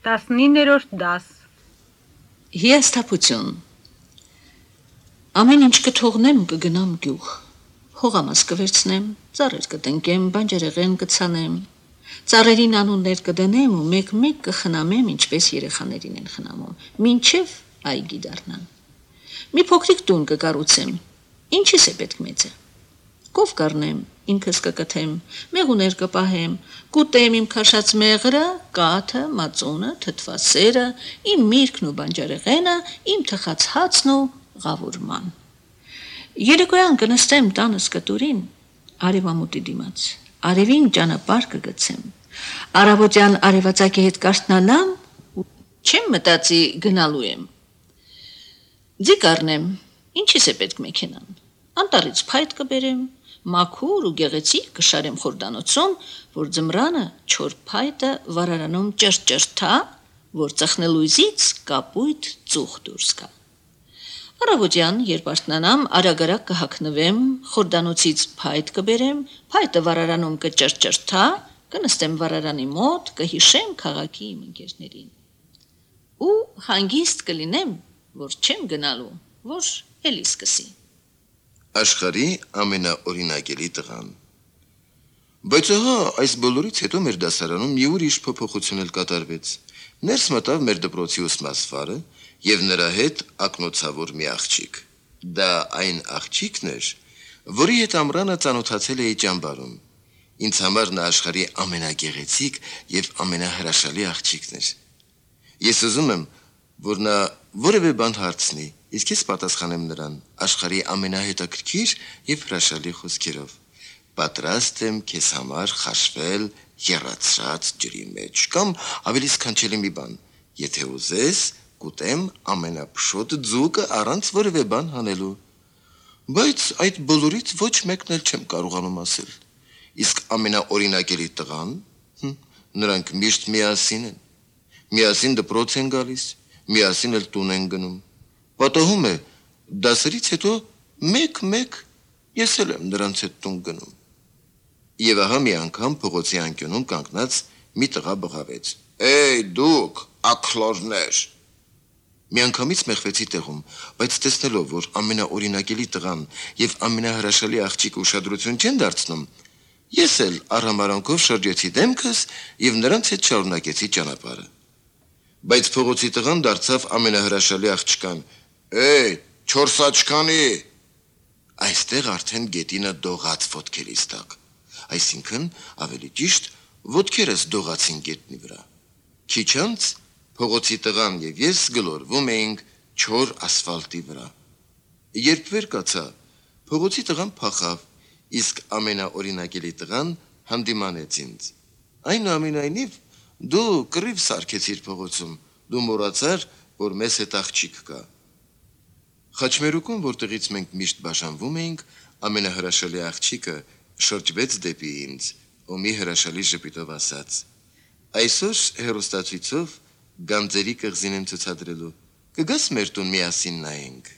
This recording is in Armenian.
19-րդ դաս Հիասթափություն Ամեն ինչ կթողնեմ կգնամ գյուղ Հողամաս կվերցնեմ ծառեր կտնկեմ բանջարեղեն կցանեմ Ծառերին անուններ կդնեմ ու մեկ-մեկ կխնամեմ ինչպես երեխաներին են խնամում մինչև այգի դառնան Մի փոքրիկ տուն կկառուցեմ Ինչիս է պետք մեծը Կով կառնեմ ինքս կկթեմ մեղուներ կպահեմ կուտեմ իմ քաշած մեղրը կաթը մածունը թթվասերը իմ միրգն ու բանջարեղենը իմ թխած հացն ու ղավուրման Երեկոյան կնստեմ տանս կտուրին արևամուտի դիմաց արևին ճանապարհ կգցեմ Արավոտյան արևածագի հետ կարթնանամ ու չեմ մտածի գնալու եմ Ձի կառնեմ ինչիս է պետք մեքենան Անտառից փայտ կբերեմ Մաքուր ու գեղեցիկ կշարեմ խորդանոցում, որ ձմռանը չոր փայտը վարարանում ճրճրթա, որ ծխնելույզից կապույտ ծուխ դուրս գա։ Առավոտյան, երբ արթնանամ, արագ-արագ կհագնվեմ, խորդանոցից փայտ կբերեմ, փայտը վարարանում կճրճրթա, կնստեմ վարարանի մոտ, կհիշեմ քաղաքի իմ ընկերներին։ Ու հանգիստ կլինեմ, որ չեմ գնալու, որ էլի սկսի։ Աշխարհի ամենաօրինակելի տղան Բայց ահա այս բոլորից հետո մեր դասարանում մի ուրիշ փոփոխություն էլ կատարվեց Ներս մտավ մեր դպրոցի ուսմասվարը եւ նրա հետ ակնոցավոր մի աղջիկ Դա այն աղջիկն էր որի հետ ամռանը ծանոթացել էի ճամբարում Ինձ համար նա աշխարհի ամենագեղեցիկ եւ ամենահրաշալի աղջիկն էր Ես ուզում եմ որ նա որևէ բան հարցնի Իսկ ես պատասխանեմ նրան աշխարհի ամենահետաքրքիր եւ հրաշալի խոսքերով Պատրաստ եմ քեզ համար խաշվել եռացած ջրի մեջ կամ ավելի սքանչելի մի բան Եթե ուզես կուտեմ ամենափշոտ ձուկը առանց որևէ բան հանելու Բայց այդ բոլորից ոչ մեկն էլ չեմ կարողանում ասել Իսկ ամենաօրինակելի տղան նրանք միշտ միասին են Միասին դպրոց են գալիս Միասին էլ տուն են գնում Պատահում է, դասերից հետո մեկ-մեկ ես էլ եմ նրանց հետ տուն գնում։ Եվ ահա մի անգամ փողոցի անկյունում կանգնած մի տղա բղավեց. Էй դուք, աքլորներ։ Մի անգամից մեղվեցի տեղում, բայց տեսնելով, որ ամենաօրինակելի տղան եւ ամենահրաշալի աղջիկը ուշադրություն չեն դարձնում, ես էլ առհամարանքով շրջեցի դեմքս եւ նրանց հետ շարունակեցի ճանապարհը։ Բայց փողոցի տղան դարձավ ամենահրաշալի աղջկան Էй, չորս աչքանի Այստեղ արդեն գետինը դողաց ոտքերիս տակ Այսինքն ավելի ճիշտ ոտքերս դողացին գետնի վրա Քիչ անց փողոցի տղան եւ ես գլորվում էինք չոր ասֆալտի վրա Երբ վեր կացա փողոցի տղան փախավ իսկ ամենաօրինակելի տղան հանդիմանեց ինձ Այնուամենայնիվ դու կռիվ սարքեցիր փողոցում դու մոռացար որ մեզ հետ աղջիկ կա Խաչմերուկում, որտեղից մենք միշտ բաժանվում էինք, ամենահրաշալի աղջիկը շրջվեց դեպի ինձ ու մի հրաշալի ժպիտով ասաց. Այսօր հեռուստացույցով գանձերի կղզին եմ ցուցադրելու։ Կգաս մեր տուն միասին նայենք։